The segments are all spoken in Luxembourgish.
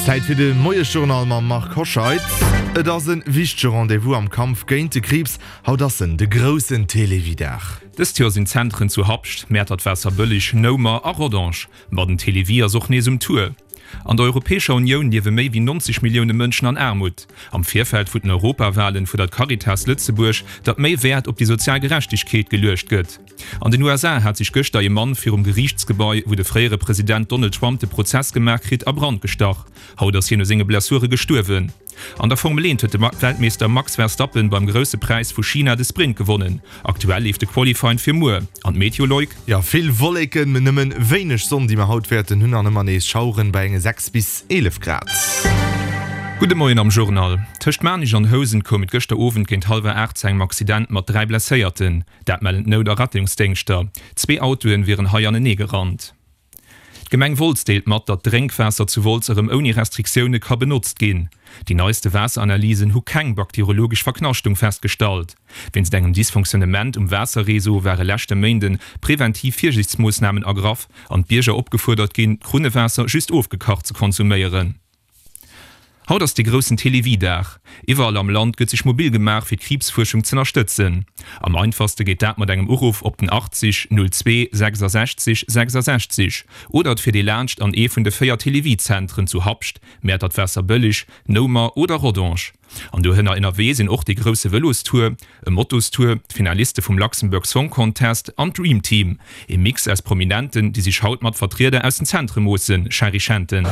Zäit fir de Moiesjournal mam Marc Hoscheid. Et ass e wichtege Rendez-vous am Kampf géint de Kriibs. Haut ass en, de groussen Télévie-Dag. Dëst Joer sinn d'Zentren zu Habscht, Mäertert-Waasserbëlleg, Noumer a Rodange. Ma den Télévie ass och nees um Tour. An der Europäescher Unioun liewe méi wéi 90 Millioune Mënschen an Aarmut. Am Virfeld vun den Europawalen fuerdert d'Caritas Lëtzebuerg, datt méi Wäert op déi sozial Gerechtegkeet geluecht gëtt. An den USA hat sech gëschter ee Mann virum Geriichtsgebai, wou de fréiere President Donald Trump de Prozess gemaach kritt, a Brand gestach. Haut ass hien u senge Blessure gestuerwen. An der Formel 1 huet de Weltmeeschter Max Verstappen beim Grousse Präis vu China de Sprint gewonnen. Aktuell leeft de Qualifying fir muer. An d'Meteo, Loïc? Jo, vill Wolleken, mee nëmmen wéineg Sonn déi mer haut wäerten hunn an ëmmer nees Schaueren bei enge 6 bis 11 Grad. Gudde Moien am Journal. Tëscht Maarnich an Housen koum et gëschter Owend géint hallwer 8 zu engem Accident mat 3 Blesséierten. Dat mellen d'Nout a Rettungsdéngschter. Zwee Autoen wieren hei anenee gerannt. D'Gemeng Wolz deelt mat, datt d'Drénkwaasser zu Wolz erëm ouni Restriktioune ka benotzt ginn. Déi neiste Waasseranalysen hu keng bakterologesch Verknaschtung festgestallt. Wéinst engem Dysfonctionnement um Waasserreseau ware leschte Méinde preventiv Virsiichtsmoossnamen ergraff an d'Bierger opgefuerdert ginn, d'Krunnewaasser just ofgekacht ze konsuméieren. Haut ass de groussen Télévie-Dag. Iwwerall am Land gëtt sech mobil gemaach fir d'Kriibsfuerschung z'ënnerstëtzen. Am einfachste geet dat mat engem Uruff op den 80 02 66 66 oder et fiert ee laanscht an ee vun de 4 Télévie-Zentren zu Habscht, Mäertert-Waasserbëlleg, Noumer oder Rodange. An dohënner ënnerwee sinn och de grousse Vëlostour, e Motostour, d'Finaliste vum Luxembourg Song Contest an d'Dream Team, ee Mix aus Prominenten, déi sech haut mat Vertrieder aus den Zentre moossen, Shari Schenten.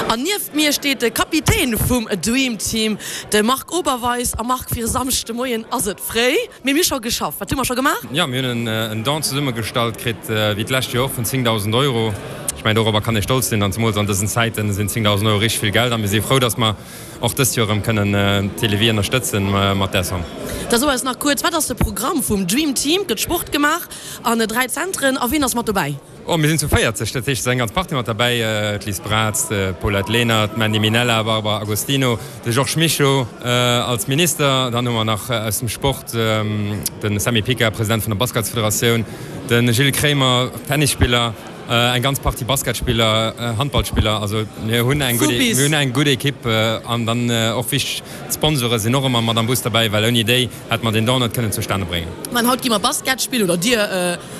An nieft mir steet de Kapitän vum Dream Team, de Marc Oberweis. A Marc, fir e Samschde Moien ass et fréi, mee mir hu scho geschafft. Wat hu mer scho gemaach? Jo, mir hunn en Don zesummegestallt kritt, wéi d'lescht Joer och, vun 10.000 Euro. Ech mengen, dorobber kann ee stolz sinn an zemools an dësen Zäiten sinn 10.000 Euro richteg vill Geld a mir si frou, dass mer och dëst Joer erëm kënnen d'Télévie ënnerstëtzen mat där Somme. Da so eis nach kuerz, wat ass de Programm vum Dream Team? Gëtt Sport gemaach an 3 Zentren a wien ass mat dobäi? Oh, mir sinn zu 40, dat heescht et ass eng ganz Partie mat derbäi, d'Liz Braz, d'Paulette Lenert, d'Mandy Minella, Barbara Agostino, de Georges Mischo als Minister, dann hu mer nach aus dem Sport de Sammy Pica, President vun der Basketsfederatioun, de Gilles Kremer, Tennisspiller. Eng ganz Partie Basketspiller, Handballspiller, also mir hunn eng gutt, mir hunn eng gutt Ekipp an dann och wichteg, d'Sponsore sinn och ëmmer mat am Bus derbäi, well ouni déi hätte mer deen Don net kënnen zustane bréngen. An haut gi mer Basket spillen, oder dir,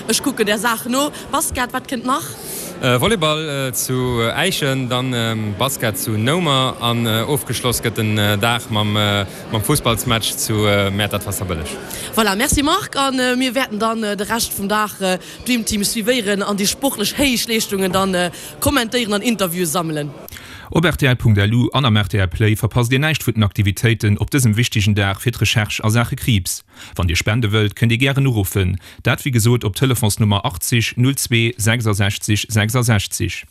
ech kucken där Saach no. Basket, wat kënnt nach? Volleyball zu Äischen, dann Basket zu Noumer an ofgeschloss gëtt den Dag mam Fussballsmatch zu Mäertert-Waasserbëlleg. Voilà, merci Marc, a mir wäerten dann de Rescht vum Dag Dream Team suivéieren an déi sportlech héich Leeschtungen dann kommentéieren an Interviewen sammelen. Op rtl.lu an am rtl Play verpasst Dir näischt vun den Aktivitéiten op dësem wichtegen Dag fir d'Recherche a Saache Kriibs. Wann Dir spende wëllt, kënnt Dir gären uruffen, dat wéi gesot op Telefonsnummer 80 02 66 66.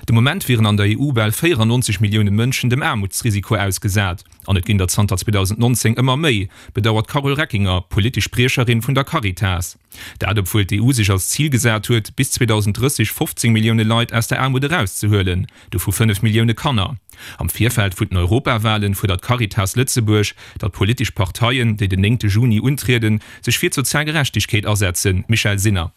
De Moment wieren an der EU bal 94 Millioune Mënschen dem Aarmutsrisiko ausgesat, an et ginn der zanter 2019 ëmmer méi, bedauert d'Carole Reckinger, politesch Spriecherin vun der Caritas. Dat obwuel d'EU sech als Zil gesat huet, bis 2030 15 Millioune Leit aus der Aarmut erauszehuelen, dovu 5 Millioune Kanner. Am Virfeld vun den Europawalen fuerdert d'Caritas Lëtzebuerg, datt politesch Parteien, déi den néngte Juni untrieden, sech fir d'sozial Gerechtegkeet asetzen. Michèle Sinner.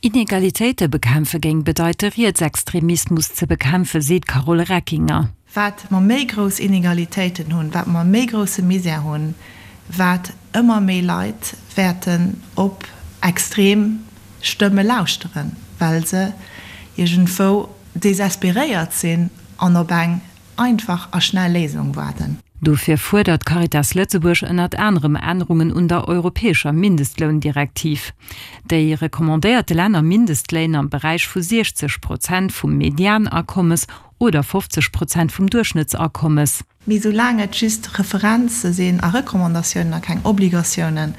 Inegalitéite bekämpfe géing bedeite Rietsextremismus ze bekämpfen, seet d'Carole Reckinger. Wat mer méi grouss Inegalitéiten hunn, wat mer méi grousse Misär hunn, wat ëmmer méi Leit wäerten op extrem Stëmme lauschteren, well se iergendwou desesperéiert sinn an op eng einfach a schnell Léisung waarden. Dofir fuerdert d'Caritas Lëtzebuerg ënnert anerem Ännerungen un der europäescher Mindestloundirektiv. Déi recommandéiert de Länner Mindestléin am Beräich vu 60 Prozent vum Medianakommes oder 50 Prozent vum Duerchschnëttsakommes. Mee soulaang et just Referenze sinn a Recommandatiounen a keng Obligatiounen,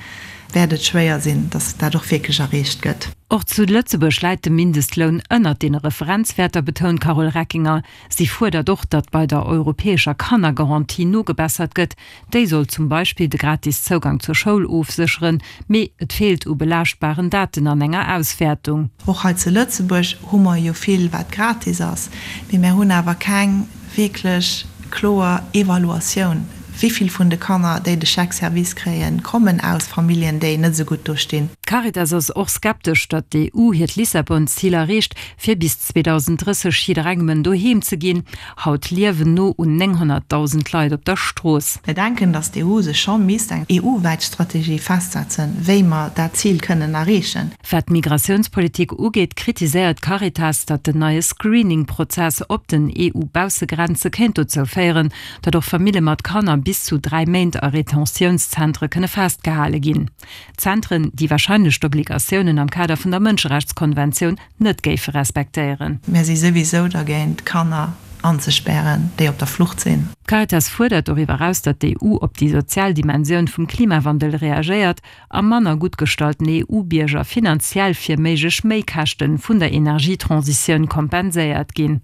wäert et schwéier sinn, datt dat och wierklech erreecht gëtt. Och zu Lëtzebuerg läit de Mindestloun ënnert deene Referenzwäerter, betount d'Carole Reckinger. Si fuerdert och, datt bei der europäescher Kannergarantie nogebessert gëtt. Déi soll zum Beispill de gratis Zougang zur Schoul ofsécheren, mee et feelt u belaaschtbaren Daten an enger Auswäertung. Och hei zu Lëtzebuerg hu mer jo vill, wat gratis ass, mee mär hunn awer keng wierklech kloer Evaluatioun. Wéi vill vun de Kanner, déi de Chèque service kréien, kommen aus Familljen, déi net esou gutt do stinn? D'Caritas ass och skeptesch, datt d'EU hiert Lissabon-Zil erreecht, fir bis 2030 jidderengem en Doheem ze ginn. Haut liewen no un 900.000 Leit op der Strooss. Mir denken, datt d'EU sech scho misst eng EU-wäit Strategie festsetzen, wéi mer dat Zil kënnen erreechen. Wat d'Migratiounspolitik ugeet, kritiséiert d'Caritas, datt den neie Screening-Prozess op den EU-Baussegrenze kéint dozou féieren, datt och Famille mat Kanner bis zu 3 Méint a Retentiounszentre kënne festgehale ginn. Zentren, déi warscheinlech d'Obligatiounen am Kader vun der Mënscherechtskonventioun net géife respektéieren. Mir si souwisou dergéint, Kanner anzespären, déi op der Flucht sinn. D'Caritas fuerdert doriwwer eraus, datt d'EU op déi sozial Dimensioun vum Klimawandel reagéiert a manner gutt gestallten EU-Bierger finanziell fir méiglech Méikäschte vun der Energietransitioun kompenséiert ginn.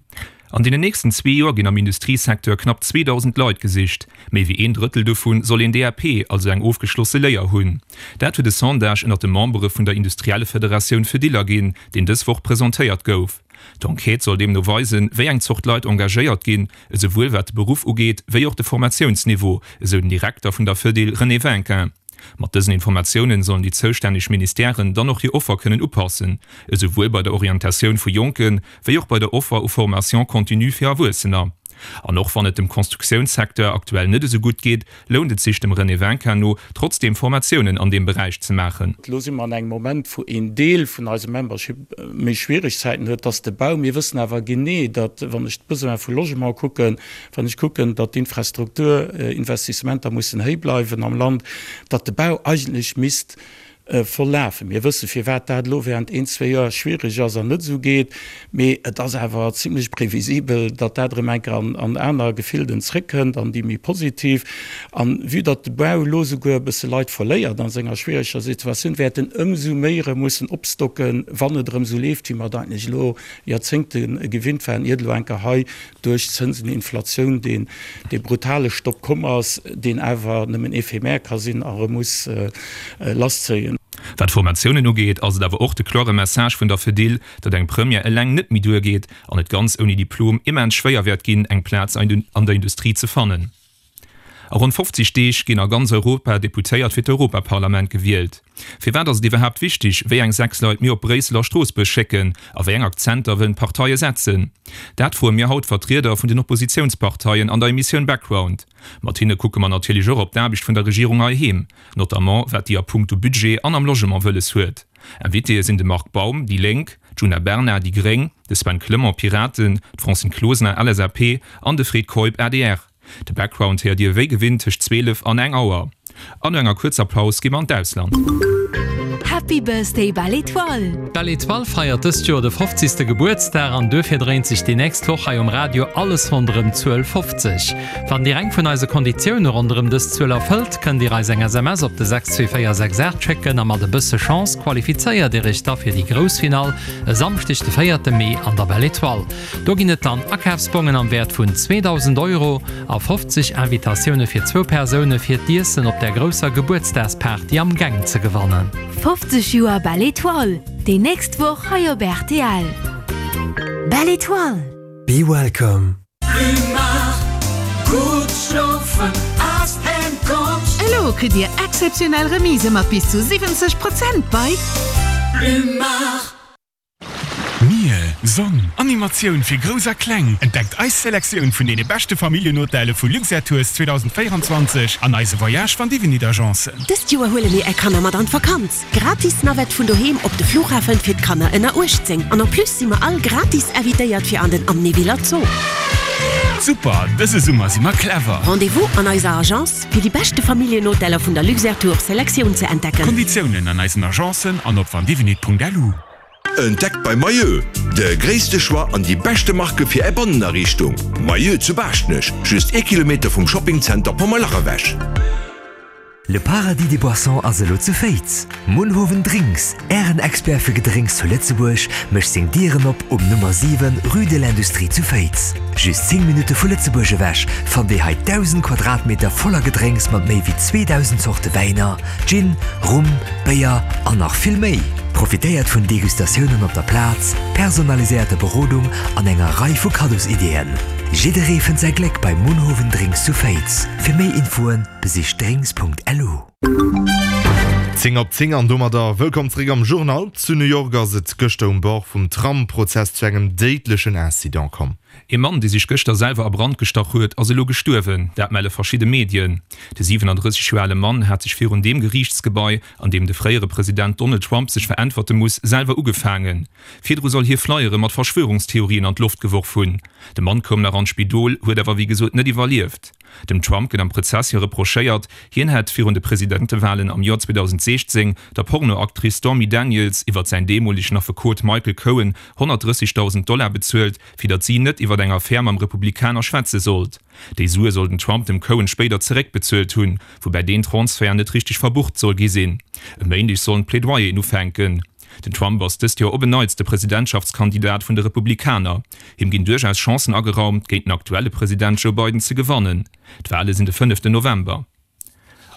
An deenen nächsten zwee Joer ginn am Industriesecteur knapp 2.000 Leit gesicht. Méi wéi een Drëttel dovu soll een DAP, also eng ofgeschlosse Léier hunn. Dat huet e Sondage ënnert de Membere vun der Industriellefederatioun Fedil erginn, deen dës Woch presentéiert gouf. D'Enquête soll deemno weisen, wéi eng Zort Leit engagéiert ginn, esouwuel wat de Beruff ugeet, wéi och de Formatiounsniveau, esou den Direkter vun der Fedil René Winkin. Mat dësen Informatiounen sollen déi zoustänneg Ministèren dann och hir Offer kënnen upassen, esouwuel bei der Orientatioun vu Jonken, wéi och bei der Offer u Formation continue fir Erwuessener. An och wann et dem Constructiounssecteur aktuell net esou gutt geet, lount et sech dem René Winkin no, trotzdeem Formatiounen an deem Beräich ze maachen. Elo si mer an engem Moment, wou een Deel vun eisem Membership méi schwiereg Zäiten huet, dat ass de Bau. Mir wëssen awer genee, datt, wann ech d'Besoine vu Logement kucken, wann ech kucken, datt d'Infrastrukturinvestissementer mussen héi bleiwen am Land, datt de Bau eigentlech misst voll lafen. Mir wësse firwat dat elo während een, zwee Joer schwiereg ass an net esou geet, mee et ass awer zimlech previsibel, datt dat erëm eng Kéier an aner Gefilden zréckkënnt, an déi méi positiv. An vue datt de Bau elo esouguer e bësse Leit verléiert a senger schwiereger Situatioun, wäert en ëmsou méi erëm mussen opstocken, wann et erëm esou leeft, wéi mer et eigentlech elo Joerzéngte gewinnt waren, iert elo eng Kéier hei duerch Zënsen, Inflatioun, deen dee brutale Stopp komm ass, deen awer nëmmen éphémère ka sinn a erëm muss lasszéien. Wat d'Formatiounen ugeet, ass et awer och de klore Message vun der Fedil, datt eng Première eleng net méi duergeet an et ganz ouni Diplom immens schwéier wäert ginn, eng Plaz an der Industrie ze fannen. A ronn 50 Deeg ginn a ganz Europa Deputéiert fir d'Europaparlament gewielt. Firwat ass et iwwerhaapt wichteg, wéi eng 6 Leit mir op Bréissel a Stroossbuerg schécken a wéi eng Akzenter wëllen d'Parteie setzen? Dat froe mir haut d'Vertrieder vun den Oppositiounsparteien an der Emissioun Background. Mat hinne kucke mer natierlech och op d'Aarbecht vun der Regierung heiheem, notamment wat déi a punkto Budget an am Logement wëlles huet. Invitéë sinn de Marc Baum, déi Lénk, d'Djuna Bernard, déi gréng, de Sven Clement, Piraten, d'Francine Closener, LSAP, an de Fred Keup, adr. De Background héiert Dir wéi gewinnt tëscht 12 an eng Auer. An no enger kuerzer Paus gi mer an d'Ausland. Happy Birthday Belle Etoile! D'Belle Etoile feiert dëst Joer de 50. Gebuertsdag an duerfir dréint sech déi nächst Woch hei um Radio alles ronderëm d'Zuel 50. Wann Dir eng vun eise Konditioune ronderëm dës Zuel erfëllt, kënnt Dir eis eng SMS op de 62468 schécken a mat e bësse Chance qualifizéiert Dir Iech da fir déi grouss Finall e Samschdeg de 4 Mee an der Belle Etoile. Do ginn et dann Akafsbongen am Wäert vun 2.000 Euro a 50 Invitatioune fir zwou Persoune fir d'Iessen op der grousser Gebuertsdagsparty am Gäng ze gewannen. 50 Joer Belle Etoile, déi nächst Woch hei op rtl. Belle Etoile! Be welcome. Elo kritt Dir exzeptionell Remisë mat bis zu 70 Prozent bei. Mier, Sonn, Animatioun fir Grouss a Kleng, entdeckt eis Selektioun vun deene beschte Familljenhotelle vu Luxair Tours 2024 an eise Voyage van Divinit Agencen. Dëst Joer huele mir är Kanner mat an d'Vakanz! Gratis Navette vun doheem op de Flughafen fir d'Kanner ënner 18 an en plus si mer all gratis invitéiert fir an den Amnéviller Zoo. Super, dëse Summer si mer clever! Rendez-vous an eiser Agence fir déi beschte Familljenhoteller vun der Luxair Tours Selektioun ze entdecken. Konditiounen an eisen Agencen an op vandivinit.lu. Entdeckt bei Mayeux de gréisste Choix an déi beschte Marke fir Är Bannenariichtung. Mayeux zu Baaschtnech, just ee Kilometer vum Shoppingzenter Pommerlach ewech. Le Paradis des Boissons ass elo zu Féiz! Munhowen Drinks, Ären Expert fir Gedrénks zu Lëtzebuerg, mécht seng Dieren op um Nummer 7, Rue de l'Industrie zu Féiz. Just 10 Minutte vu Lëtzebuerg ewech fannt Dir hei 1.000 Quadratmeter voller Gedrénks mat méi wéi 2.000 Zorte Wäiner, Gin, Rum, Béier an nach vill méi! Profitéiert vun Degustatiounen op der Plaz, personaliséierter Berodung an enger Rei vu Kaddosideeën. Jidderee fënnt säi Gléck bei Munhowen Drinks zu Féiz. Fir méi Infoen besicht drinks.lu. 10 op 10 an domadder wëllkomm zeréck am Journal. Zu New York ass et gëschter um Bord vum Tram-Prozess zu engem déidlechen Incident komm. Ee Mann, dee sech gëschter selwer a Brand gestach huet, ass elo gestuerwen. Dat melle verschidde Medien. De 37 Joer ale Mann hat sech virun deem Geriichtsgebai, an deem de fréiere President Donald Trump sech veräntwerte muss, selwer ugefaangen. Virdru soll hie Flyere mat Verschwörungstheorien an d'Loft geworf hunn. De Mann koum nach an d'Spidol, huet awer wéi gesot net iwwerlieft. Dem Trump gëtt am Prozess jo reprochéiert, hien hätt virun de Presidentewalen am Joer 2016 der Pornoactrice Stormy Daniels iwwert säin deemolegen Affekot Michael Cohen 130.000 Dollar bezuelt, fir datt si net iwwert eng Affär mam Republikaner schwätze sollt. Déi Sue soll den Trump dem Cohen spéider zeréckbezuelt hunn, woubäi deen Transfert net richteg verbucht soll gi sinn. E Méindeg sollen d'Plädoyeren ufänken. Den Trump ass dëst Joer op en Neits de Presidentschaftskandidat vun de Republikaner. Him ginn duerchaus Chancen ageraumt, géint den aktuelle President Joe Biden ze gewannen. D'Wale sinn de fënneften November.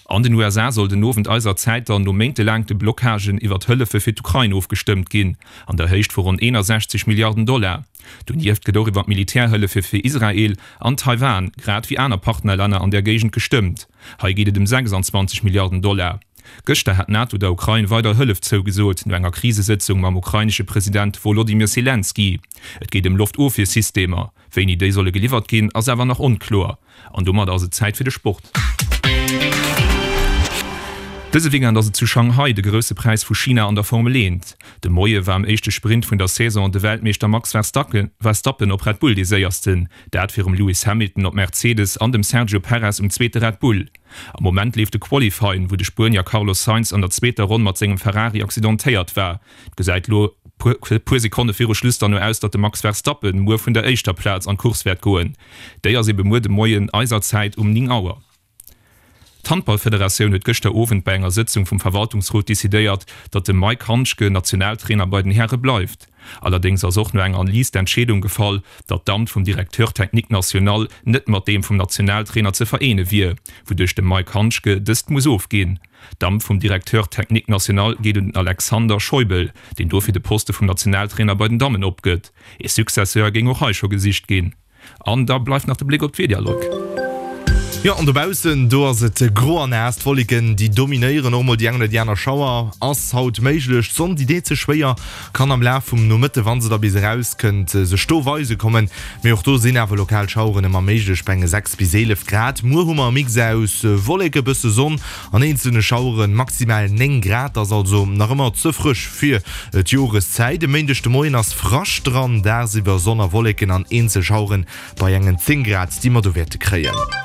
An den USA soll den Owend eiser Zäit dann no méintelaangte Blockagen iwwert Hëllefe fir d'Ukrain ofgestëmmt ginn, an der Héicht vu ronn 61 Milliarden Dollar. Donieft gëtt och iwwer Militärhëllefe fir Israel an Taiwan, grad wéi aner Partnerlänner an där Géigend gestëmmt. Hei geet et ëm 26 Milliarden Dollar. Gëschter hat d'NATO der Ukrain weider Hëllef zougesot, no enger Krisesëtzung mam ukrainesche President Wolodymyr Selenskyj. Et geet ëm Loftofwiersystemer. Wéini déi solle geliwwert ginn, ass awer nach onkloer. An domadder ass et Zäit fir de Sport. Dëse Weekend ass et zu Shanghai de Grousse Präis vu China an der Formel 1. De Moie war am éischte Sprint vun der Saison de Weltmeeschter Max Verstappen op Red Bull dee Séiersten, dat virum Lewis Hamilton op Mercedes an dem Sergio Perez um zweete Red Bull. Am Moment leeft de Qualifying, wou de Spuenier Carlos Sainz an der zweeter Ronn mat sengem Ferrari accidentéiert war. Et gesäit lo puer Sekonne viru Schluss dann no aus, datt de Max Verstappen muer vun der éischter Plaz an d'Course wäert goen. Déi ass ebe muer de Moien eiser Zäit um 9 Auer. D'Handballfederatioun huet gëschter Owend bei enger Sëtzung vum Verwaltungsrot decidéiert, datt de Mike Handschke Nationaltrainer bei den Häre bleift. Allerdéngs ass och no enger Analys d'Entscheedung gefall, datt d'Amt vum Directeur technique national net mat deem vum Nationaltrainer ze vereene wier, wouduerch de Mike Handschke dëst muss ofginn. D'Amt vum Directeur technique national geet un den Alexander Scheubel, deen dofir de Poste vum Nationaltrainer bei den Dammen opgëtt. Ee Successeur géing och hei scho gesicht ginn. An da bleift nach de Bléck op d'Wieder, Luc. Jo, an dobaussen, do ass et gro a naass. D'Wolleken, déi dominéieren, och mol déi eng oder déi aner Schauer ass haut méiglech. D'Sonn, déi deet sech schwéier, kann am Laf vum Nomëtte, wa se da bis erauskënnt, sech do weise kommen. Mee och do sinn awer lokal Schaueren ëmmer méiglech bei enge 6 bis 11 Grad. Muer hu mer e Mix aus Wolleke, bësse Sonn An eenzelne Schaueren maximal 9 Grad, ass also nach ëmmer ze frësch fir d'Joreszäit. E Méindeg de Moien ass Frascht dran, dagsiwwer Sonn a Wolleken an eenzel Schaueren bei engen 10 Grad, déi mer do wäerte kréien.